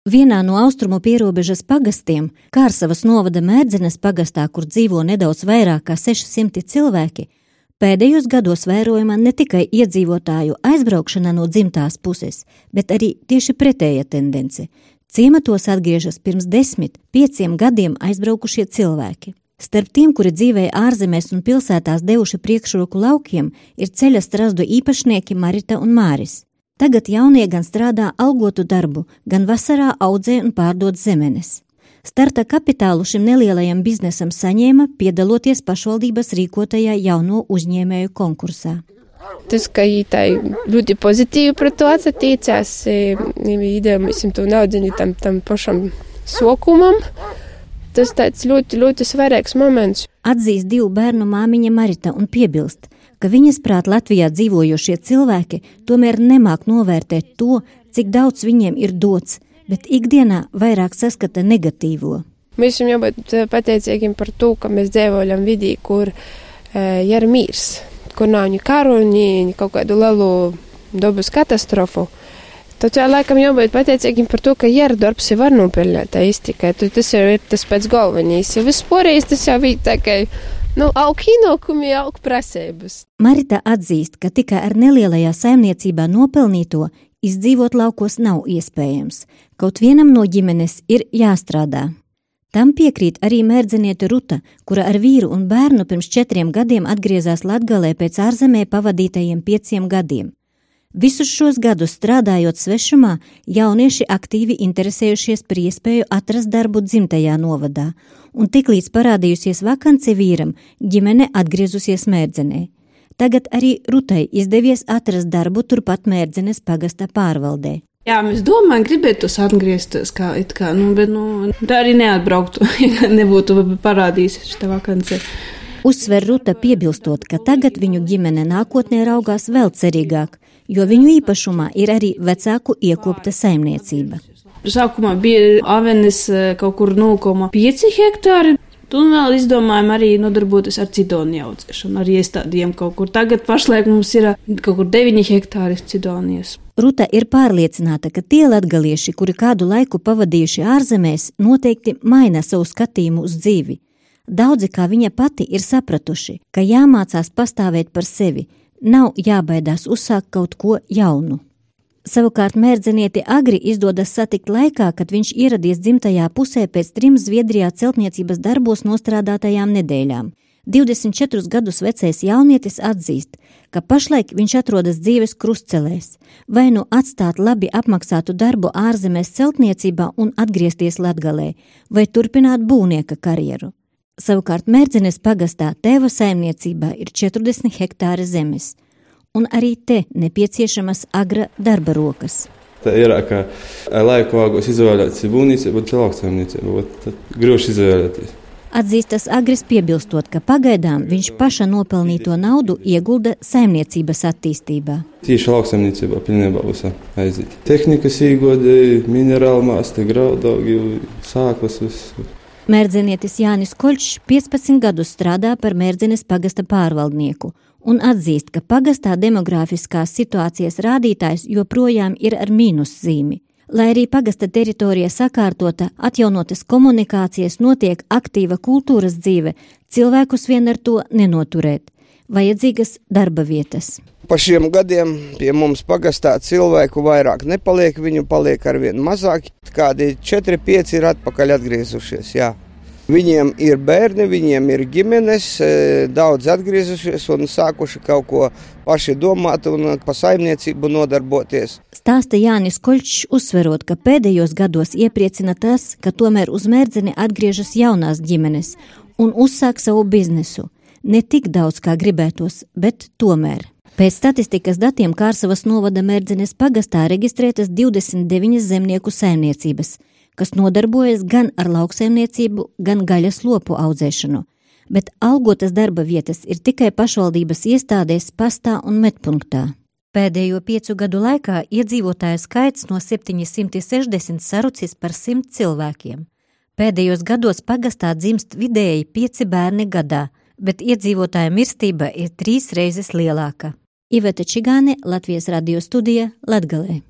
Vienā no austrumu pierobežas pagastiem, Kārsavas novada Mērdzenes pagastā, kur dzīvo nedaudz vairāk kā 600 cilvēki, pēdējos gados vērojama ne tikai iedzīvotāju aizbraukšana no dzimtās puses, bet arī tieši pretēja tendence. Ciematos atgriežas pirms 10–5 gadiem aizbraukušie cilvēki. Starp tiem, kuri dzīvēja ārzemēs un pilsētās devuši priekšroku laukiem, ir ceļa strazdu īpašnieki Marita un Māris. Tagad jaunie gan strādā algotu darbu, gan vasarā audzē un pārdod zemenes. Starta kapitālu šim nelielajam biznesam saņēma, piedaloties pašvaldības rīkotajā jauno uzņēmēju konkursā. Tas, ka tā ļoti pozitīvi pret to atsatīcās, idejamies to naudziņu tam pašam sokumam, tas tāds ļoti, ļoti svarīgs moments. Atzīst 2 bērnu māmiņa Marita un piebilst, ka viņas prāt Latvijā dzīvojošie cilvēki tomēr nemāk novērtēt to, cik daudz viņiem ir dots, bet ikdienā vairāk saskata negatīvo. Mēs esam jābūt pateicīgiem par to, ka mēs dzīvojam vidī, kur ir mīrs, kur nav ni karu, ni kaut kādu lielu dabas katastrofu. Tad laikam jābūt pateicīgiem par to, ka ir darbs var nopelnīt iztikai. Tas jau ir tas pēc galvenīs. Vispārējais tas jau ir tā kā aug ienākumi, aug prasības. Marita atzīst, ka tikai ar nelielajā saimniecībā nopelnīto izdzīvot laukos nav iespējams. Kaut vienam no ģimenes ir jāstrādā. Tam piekrīt arī mērdzeniete Ruta, kura ar vīru un bērnu pirms 4 gadiem atgriezās Latgalē pēc ārzemē pavadītajiem 5 gadiem. Visus šos gadus strādājot svešumā, jaunieši aktīvi interesējušies par iespēju atrast darbu dzimtajā novadā, un tiklīdz parādījusies vakance vīram, ģimene atgriezusies Mērdzenē. Tagad arī Rutai izdevies atrast darbu turpat Mērdzenes pagasta pārvaldē. Jā, mēs domājam, gribētos atgriezties, bet tā arī neatbrauktu, ja nebūtu parādījis šitā vakance. Uzsver Ruta piebilstot, ka tagad viņu ģimene nākotnē raugās vēl cerīgāk, jo viņu īpašumā ir arī vecāku iekopta saimniecība. Sākumā bija avenes kaut kur 0,5 hektāri, un vēl izdomājam arī nodarboties ar cidoni audzēšanu, ar iestādiem kaut kur. Tagad pašlaik mums ir kaut kur 9 hektāri cidonijas. Ruta ir pārliecināta, ka tie latgalieši, kuri kādu laiku pavadījuši ārzemēs, noteikti maina savu skatījumu uz dzīvi. Daudzi, kā viņa pati, ir sapratuši, ka jāmācās pastāvēt par sevi, nav jābaidās uzsākt kaut ko jaunu. Savukārt mērdzenieti Agri izdodas satikt laikā, kad viņš ieradies dzimtajā pusē pēc 3 Zviedrijā celtniecības darbos nostrādātajām nedēļām. 24 gadus vecais jaunietis atzīst, ka pašlaik viņš atrodas dzīves krustcelēs, vai nu atstāt labi apmaksātu darbu ārzemēs celtniecībā un atgriezties Latgalē, vai turpināt būvnieka karjeru. Savukārt Mērdzenes pagastā tēva saimniecībā ir 40 hektāri zemes, un arī te nepieciešamas Agra darba rokas. Tā ir, ka laiku vāgos izvēlēties būvniecību, bet lauksaimniecību, tad grūši izvēlēties. Atzīstas Agris piebilstot, ka pagaidām viņš paša nopelnīto naudu iegulda saimniecības attīstībā. Tīši lauksaimniecībā pilnībā visā aiziet. Tehnikas īgodēji, minerāli māsti, graudaugi, sāklas visu. Mērdzenietis Jānis Koļšs 15 gadus strādā par Mērdzenes pagasta pārvaldnieku un atzīst, ka pagastā demogrāfiskās situācijas rādītājs joprojām ir ar mīnuszīmi. Lai arī pagasta teritorija sakārtota, atjaunotas komunikācijas, notiek aktīva kultūras dzīve, cilvēkus vien ar to nenoturēt. Vajadzīgas darba vietas. Pa šiem gadiem pie mums pagastā cilvēku vairāk nepaliek, viņu paliek arvien mazāk. Kādi 4–5 ir atpakaļ atgriezušies, jā. Viņiem ir bērni, viņiem ir ģimenes, daudz atgriezušies un sākuši kaut ko paši domāt un pa saimniecību nodarboties. Stāsta Jānis Koļšs, uzsverot, ka pēdējos gados iepriecina tas, ka tomēr uz Mērdzeni atgriežas jaunās ģimenes un uzsāk savu biznesu. Ne tik daudz, kā gribētos, bet tomēr. Pēc statistikas datiem Kārsavas novada Mērdzenes pagastā reģistrētas 29 zemnieku saimniecības, kas nodarbojas gan ar lauksaimniecību, gan gaļas lopu audzēšanu, bet algotas darba vietas ir tikai pašvaldības iestādēs, pastā un medpunktā. Pēdējo 5 gadu laikā iedzīvotāju skaits no 760 sarucis par 100 cilvēkiem. Pēdējos gados pagastā dzimst vidēji 5 bērni gadā, bet iedzīvotāja mirstība ir 3 reizes lielāka. Iveta Čigāne, Latvijas radio studija, Latgalē.